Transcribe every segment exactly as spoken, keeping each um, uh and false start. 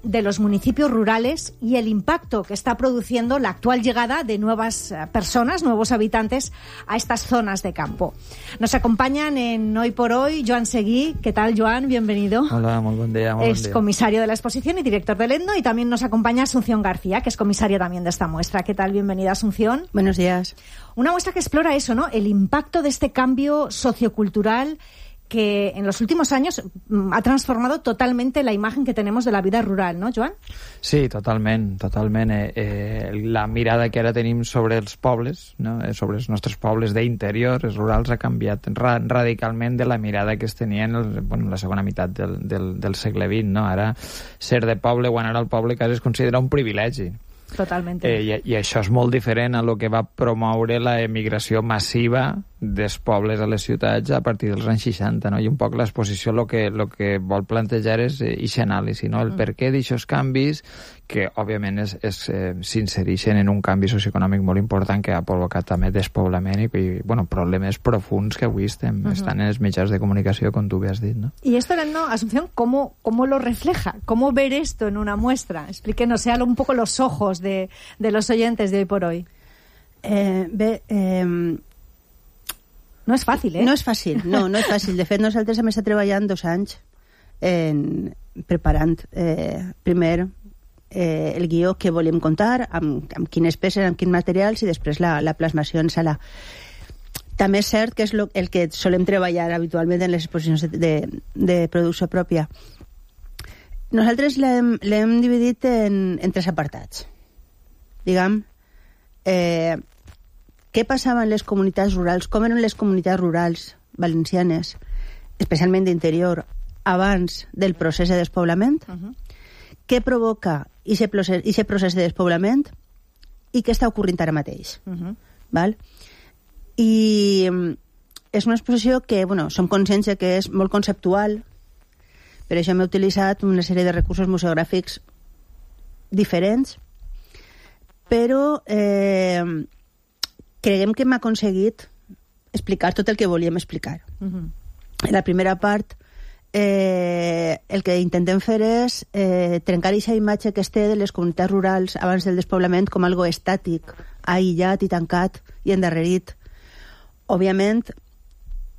de los municipios rurales y el impacto que está produciendo la actual llegada de nuevas personas, nuevos habitantes a estas zonas de campo. Nos acompañan en Hoy por Hoy Joan Seguí. ¿Qué tal, Joan? Bienvenido. Hola, muy buen día. Muy es buen día. Comisario de la exposición y director del Etno, y también nos acompaña Asunción García, que es comisaria también de esta muestra. ¿Qué tal? Bienvenida, Asunción. Buenos días. Una muestra que explora eso, ¿no? El impacto de este cambio sociocultural que en los últimos años ha transformado totalmente la imagen que tenemos de la vida rural, ¿no, Joan? Sí, totalment, totalment. Eh, eh, la mirada que ara tenim sobre els pobles, no? eh, sobre els nostres pobles d'interior, els rurals, ha canviat ra radicalment de la mirada que es tenia en el, bueno, la segona meitat del, del, del segle vint, no? Ara, ser de poble o anar al poble quasi es considera un privilegi. Totalment. Eh, i, I això és molt diferent a lo que va promoure la emigració massiva dels pobles a les ciutats a partir dels anys seixanta, no? I un poc l'exposició el que, lo que vol plantejar és aquesta anàlisi, no? El mm. per què d'aixòs canvis que, òbviament, es, es, eh, s'insereixen en un canvi socioeconòmic molt important que ha provocat també despoblament i, i bueno, problemes profuns que avui estem, uh-huh. estan en els mitjans de comunicació, com tu bé has dit, no? Y esto, ¿no, Asunción, ¿cómo, cómo lo refleja? ¿Cómo ver esto en una muestra? Explíquenos, sea un poco los ojos de, de los oyentes de Hoy por Hoy. Eh, bé, eh, no és fàcil, eh? No és fàcil, no, no és fàcil. De fet, nosaltres hem estat treballant dos anys en, preparant eh, primer eh, el guió que volíem contar, amb, amb quines peces, amb quins materials, i després la, la plasmació en sala. També és cert que és lo, el que solem treballar habitualment en les exposicions de, de, de producció pròpia. Nosaltres l'hem dividit en, en tres apartats. Diguem, eh, què passava en les comunitats rurals, com eren les comunitats rurals valencianes, especialment d'interior, abans del procés de despoblament, uh-huh. què provoca aquest procés, procés de despoblament i què està ocorrint ara mateix. Uh-huh. Val? I és una exposició que, bueno, som conscients que és molt conceptual, per això hem utilitzat una sèrie de recursos museogràfics diferents, però eh, creiem que hem aconseguit explicar tot el que volíem explicar. Uh-huh. En la primera part, eh, el que intentem fer és eh, trencar aquesta imatge que es té de les comunitats rurals abans del despoblament com algo estàtic, aïllat i tancat i endarrerit. Òbviament,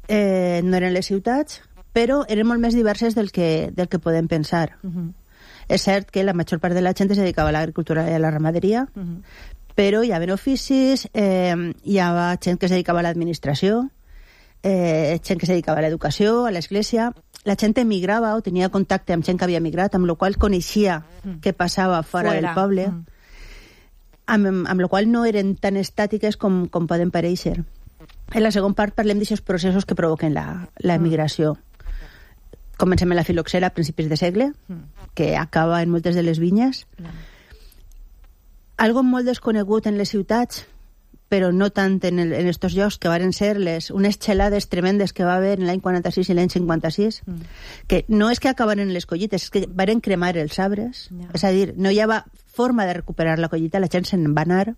eh, no eren les ciutats, però eren molt més diverses del que, del que podem pensar. Uh-huh. És cert que la major part de la gent es dedicava a l'agricultura i a la ramaderia, uh-huh. però hi havia oficis, eh, hi havia gent que es dedicava a l'administració, eh, gent que es dedicava a l'educació, a l'església. La gent emigrava o tenia contacte amb gent que havia emigrat, amb la qual coneixia uh-huh. què passava fora, fora del poble, uh-huh. amb, amb la qual no eren tan estàtiques com, com poden parèixer. En la segona part parlem d'aquests processos que provoquen la, la emigració. Comencem amb la filoxera a principis de segle, que acaba en moltes de les vinyes. Algo molt desconegut en les ciutats, però no tant en, el, en estos llocs, que varen ser les, unes xelades tremendes que va haver en l'any quaranta-sis i l'any cinquanta-sis, mm. que no és que acabaren les collites, és que varen cremar els arbres, yeah. és a dir, no hi havia forma de recuperar la collita, la gent se'n va anar.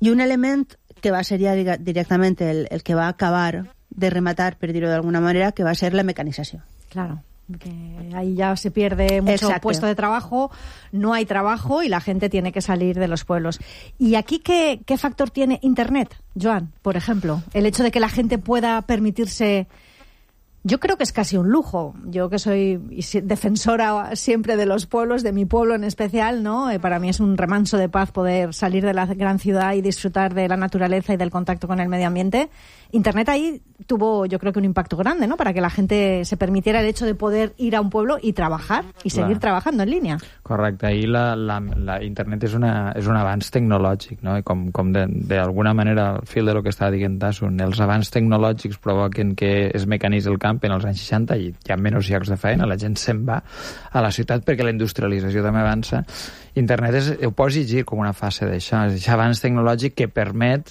I un element que va ser ja directament el, el que va acabar de rematar, per dir-ho d'alguna manera, que va ser la mecanització. Claro, que ahí ya se pierde mucho Exacto. puesto de trabajo, no hay trabajo y la gente tiene que salir de los pueblos. ¿Y aquí qué, qué factor tiene Internet, Joan, por ejemplo? El hecho de que la gente pueda permitirse... Yo creo que es casi un lujo. Yo que soy defensora siempre de los pueblos, de mi pueblo en especial, ¿no? Eh, para mí es un remanso de paz poder salir de la gran ciudad y disfrutar de la naturaleza y del contacto con el medio ambiente. Internet ahí tuvo, yo creo que un impacto grande, ¿no? Para que la gente se permitiera el hecho de poder ir a un pueblo y trabajar y Clar. seguir trabajando en línea. Correcte. Ahir la, la, la Internet és, una, és un avanç tecnològic, no? I com, com d'alguna manera, al fil de lo que estava dient Tassun, els avanç tecnològics provoquen que es mecanitzi el camp en els anys seixanta i hi ha menys llocs de feina, la gent se'n va a la ciutat perquè la industrialització també avança. Internet és, ho pots llegir com una fase d'això, és aquest avanç tecnològic que permet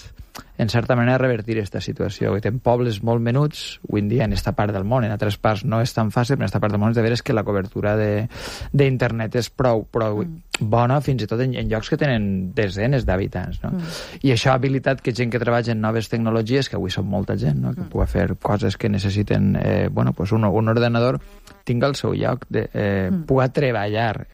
en certa manera, revertir aquesta situació. En pobles molt menuts, avui en dia, en aquesta part del món, en altres parts no és tan fàcil, però en aquesta part del món és de veres que la cobertura d'internet és prou, prou mm. bona, fins i tot en, en llocs que tenen desenes d'habitants. No? Mm. I això ha habilitat que gent que treballa en noves tecnologies, que avui són molta gent, no? que mm. pugui fer coses que necessiten eh, bueno, pues un, un ordenador, tinga el seu lloc, de, eh, mm. pugui treballar